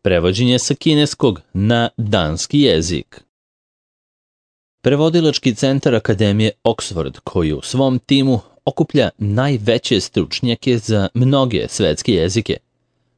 Prevođenje sa kineskog na danski jezik. Prevodilački centar Akademije Oxford, koji u svom timu okuplja najveće stručnjake za mnoge svetske jezike,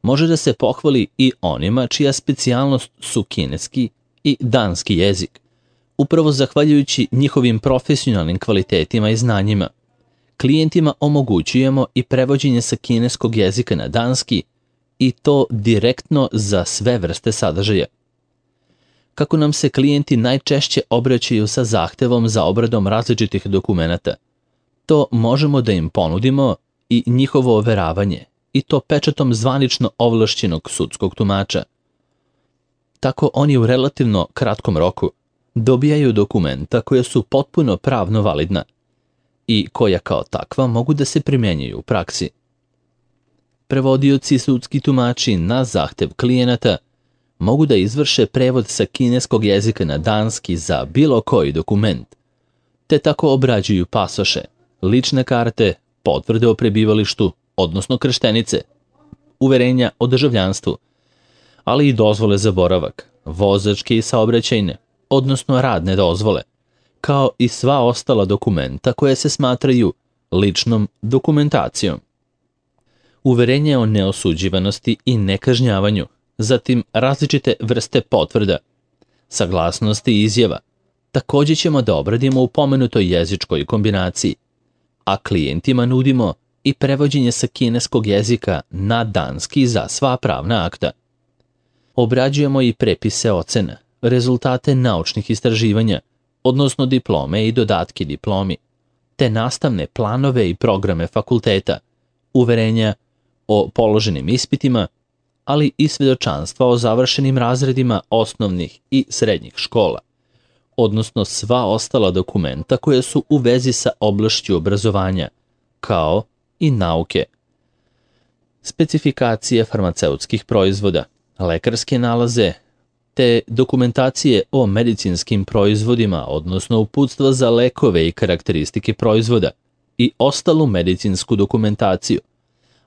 može da se pohvali i onima čija specijalnost su kineski i danski jezik. Upravo zahvaljujući njihovim profesionalnim kvalitetima i znanjima, klijentima omogućujemo i prevođenje sa kineskog jezika na danski, i to direktno za sve vrste sadržaja. Kako nam se klijenti najčešće obraćaju sa zahtevom za obradom različitih dokumenata, to možemo da im ponudimo i njihovo overavanje, i to pečatom zvanično ovlašćenog sudskog tumača. Tako oni u relativno kratkom roku dobijaju dokumenta koja su potpuno pravno validna i koja kao takva mogu da se primjenjuju u praksi. Prevodioci i sudski tumači na zahtev klijenata mogu da izvrše prevod sa kineskog jezika na danski za bilo koji dokument, te tako obrađuju pasoše, lične karte, potvrde o prebivalištu, odnosno krštenice, uverenja o državljanstvu, ali i dozvole za boravak, vozačke i saobraćajne, odnosno radne dozvole, kao i sva ostala dokumenta koje se smatraju ličnom dokumentacijom. Uverenje o neosuđivanosti i nekažnjavanju, zatim različite vrste potvrda, saglasnosti i izjava, također ćemo da obradimo u pomenutoj jezičkoj kombinaciji, a klijentima nudimo i prevođenje sa kineskog jezika na danski za sva pravna akta. Obrađujemo i prepise ocena, rezultate naučnih istraživanja, odnosno diplome i dodatke diplomi, te nastavne planove i programe fakulteta, uverenja o položenim ispitima, ali i svedočanstva o završenim razredima osnovnih i srednjih škola, odnosno sva ostala dokumenta koje su u vezi sa oblašću obrazovanja, kao i nauke. Specifikacije farmaceutskih proizvoda, lekarske nalaze, te dokumentacije o medicinskim proizvodima, odnosno uputstva za lekove i karakteristike proizvoda i ostalu medicinsku dokumentaciju,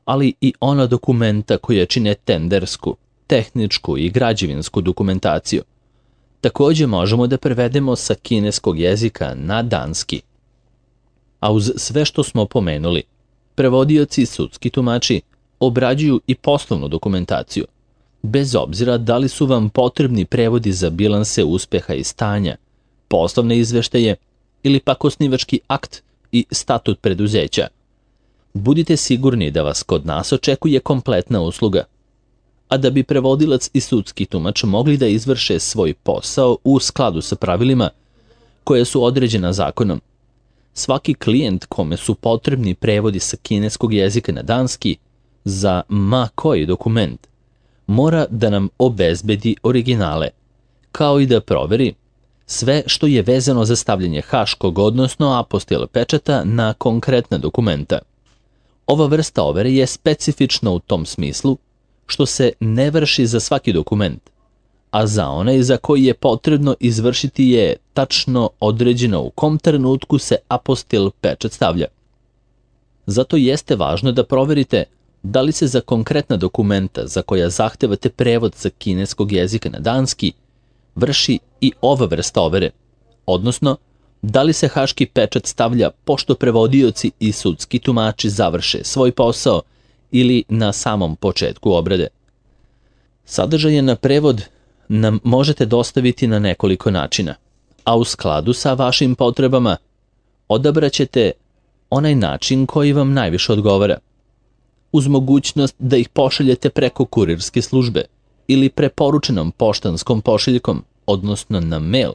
ali i ona dokumenta koja čine tendersku, tehničku i građevinsku dokumentaciju. Također možemo da prevedemo sa kineskog jezika na danski. A uz sve što smo pomenuli, prevodioci i sudski tumači obrađuju i poslovnu dokumentaciju, bez obzira da li su vam potrebni prevodi za bilanse uspeha i stanja, poslovne izveštaje ili pak osnivački akt i statut preduzeća. Budite sigurni da vas kod nas očekuje kompletna usluga. A da bi prevodilac i sudski tumač mogli da izvrše svoj posao u skladu sa pravilima koje su određena zakonom, svaki klijent kome su potrebni prevodi sa kineskog jezika na danski za ma koji dokument mora da nam obezbedi originale, kao i da proveri sve što je vezano za stavljanje haškog, odnosno apostil pečata na konkretna dokumenta. Ova vrsta overe je specifična u tom smislu što se ne vrši za svaki dokument, a za onaj za koji je potrebno izvršiti je tačno određeno u kom trenutku se apostil pečat stavlja. Zato jeste važno da proverite da li se za konkretna dokumenta za koja zahtevate prevod sa kineskog jezika na danski vrši i ova vrsta overe, odnosno da li se haški pečat stavlja pošto prevodioci i sudski tumači završe svoj posao ili na samom početku obrade. Sadržaje na prevod nam možete dostaviti na nekoliko načina, a u skladu sa vašim potrebama odabraćete onaj način koji vam najviše odgovara, uz mogućnost da ih pošaljete preko kurirske službe ili preporučenom poštanskom pošiljkom, odnosno na mail.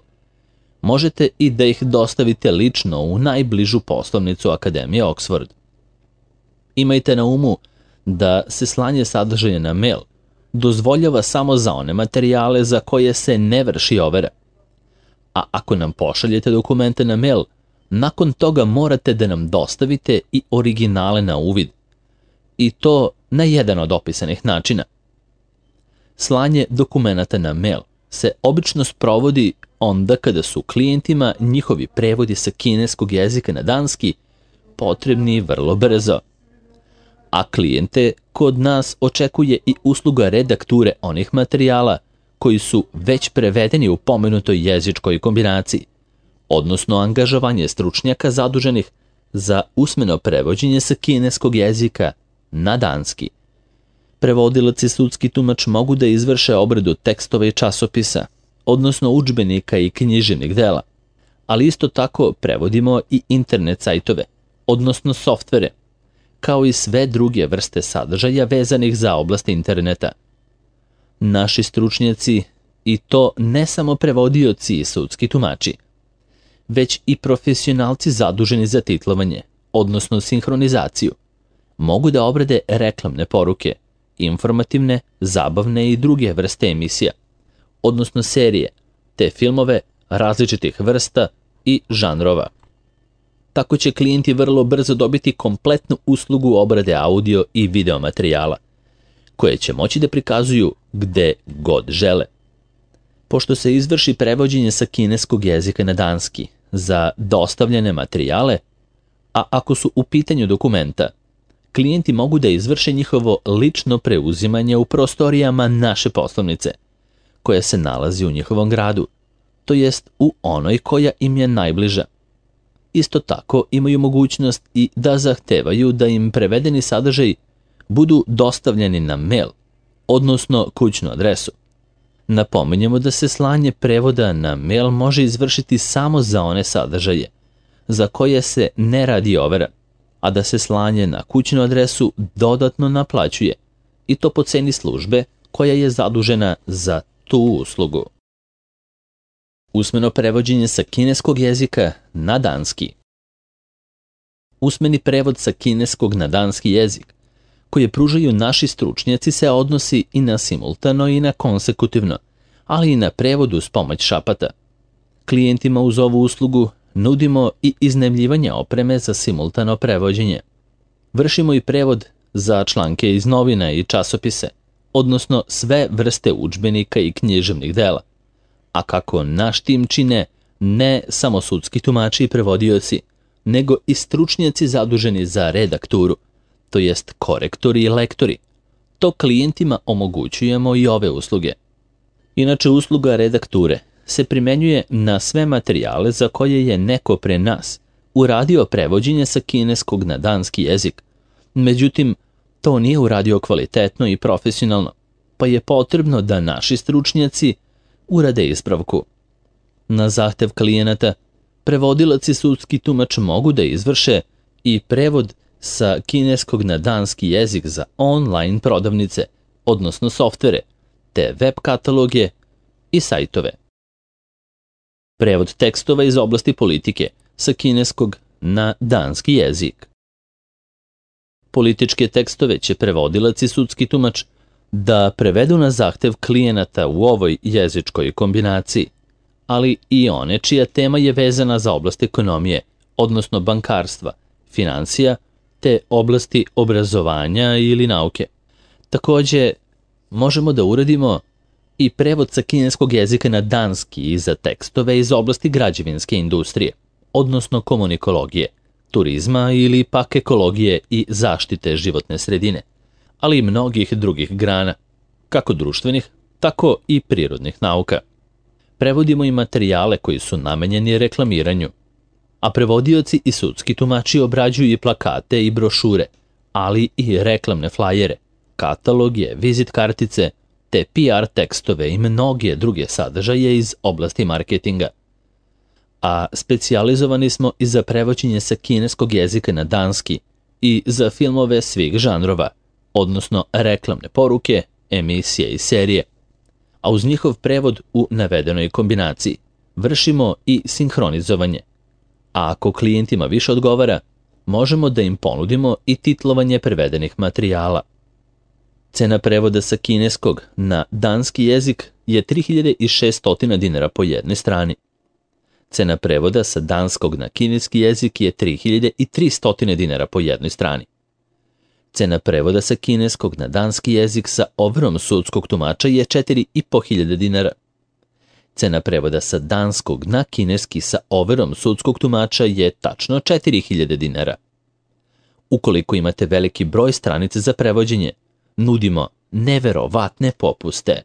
Možete i da ih dostavite lično u najbližu poslovnicu Akademije Oxford. Imajte na umu da se slanje sadržaja na mail dozvoljava samo za one materijale za koje se ne vrši overa. A ako nam pošaljete dokumente na mail, nakon toga morate da nam dostavite i originale na uvid. I to na jedan od opisanih načina. Slanje dokumenata na mail se obično sprovodi onda kada su klijentima njihovi prevodi sa kineskog jezika na danski potrebni vrlo brzo. a klijente kod nas očekuje i usluga redakture onih materijala koji su već prevedeni u pomenutoj jezičkoj kombinaciji, odnosno angažovanje stručnjaka zaduženih za usmeno prevođenje sa kineskog jezika na danski. Prevodilac i sudski tumač mogu da izvrše obradu tekstova i časopisa, odnosno udžbenika i književnih dela, ali isto tako prevodimo i internet sajtove, odnosno softvere, kao i sve druge vrste sadržaja vezanih za oblast interneta. Naši stručnjaci, i to ne samo prevodioci i sudski tumači, već i profesionalci zaduženi za titlovanje, odnosno sinhronizaciju, mogu da obrade reklamne poruke, informativne, zabavne i druge vrste emisija, odnosno serije, te filmove različitih vrsta i žanrova. Tako će klijenti vrlo brzo dobiti kompletnu uslugu obrade audio i video materijala, koje će moći da prikazuju gde god žele. Pošto se izvrši prevođenje sa kineskog jezika na danski za dostavljene materijale, a ako su u pitanju dokumenta, klijenti mogu da izvrše njihovo lično preuzimanje u prostorijama naše poslovnice, koja se nalazi u njihovom gradu, to jest u onoj koja im je najbliža. Isto tako imaju mogućnost i da zahtevaju da im prevedeni sadržaj budu dostavljeni na mail, odnosno kućnu adresu. Napominjemo da se slanje prevoda na mail može izvršiti samo za one sadržaje za koje se ne radi overa, a da se slanje na kućnu adresu dodatno naplaćuje, i to po ceni službe koja je zadužena za tu uslugu. Usmeno prevođenje sa kineskog jezika na danski. Usmeni prevod sa kineskog na danski jezik, koje pružaju naši stručnjaci, se odnosi i na simultano i na konsekutivno, ali i na prevod uz pomoć šapata. Klijentima uz ovu uslugu nudimo i iznajmljivanje opreme za simultano prevođenje. Vršimo i prevod za članke iz novina i časopise, odnosno sve vrste udžbenika i književnih dela. A kako naš tim čine ne samo sudski tumači i prevodioci, nego i stručnjaci zaduženi za redakturu, to jest korektori i lektori, to klijentima omogućujemo i ove usluge. Inače, usluga redakture se primenjuje na sve materijale za koje je neko pre nas uradio prevođenje sa kineskog na danski jezik. Međutim, to nije uradio kvalitetno i profesionalno, pa je potrebno da naši stručnjaci urade ispravku. Na zahtev klijenata, prevodilac i sudski tumač mogu da izvrše i prevod sa kineskog na danski jezik za online prodavnice, odnosno softvere, te web kataloge i sajtove. Prevod tekstova iz oblasti politike sa kineskog na danski jezik. Političke tekstove će prevodilac i sudski tumač da prevedu na zahtev klijenata u ovoj jezičkoj kombinaciji, ali i one čija tema je vezana za oblast ekonomije, odnosno bankarstva, financija, te oblasti obrazovanja ili nauke. Takođe, možemo da uradimo i prevod sa kineskog jezika na danski za tekstove iz oblasti građevinske industrije, odnosno komunikologije, turizma ili pak ekologije i zaštite životne sredine, ali i mnogih drugih grana, kako društvenih, tako i prirodnih nauka. Prevodimo i materijale koji su namenjeni reklamiranju, a prevodioci i sudski tumači obrađuju i plakate i brošure, ali i reklamne flajere, kataloge, vizit kartice, te PR tekstove i mnoge druge sadržaje iz oblasti marketinga. A specijalizovani smo i za prevođenje sa kineskog jezika na danski i za filmove svih žanrova, odnosno reklamne poruke, emisije i serije. A uz njihov prevod u navedenoj kombinaciji vršimo i sinhronizovanje. A ako klijentima više odgovara, možemo da im ponudimo i titlovanje prevedenih materijala. Cena prevoda sa kineskog na danski jezik je 3600 dinara po jednoj strani. Cena prevoda sa danskog na kineski jezik je 3300 dinara po jednoj strani. Cena prevoda sa kineskog na danski jezik sa overom sudskog tumača je 4500 dinara. Cena prevoda sa danskog na kineski sa overom sudskog tumača je tačno 4000 dinara. Ukoliko imate veliki broj stranica za prevođenje, nudimo neverovatne popuste.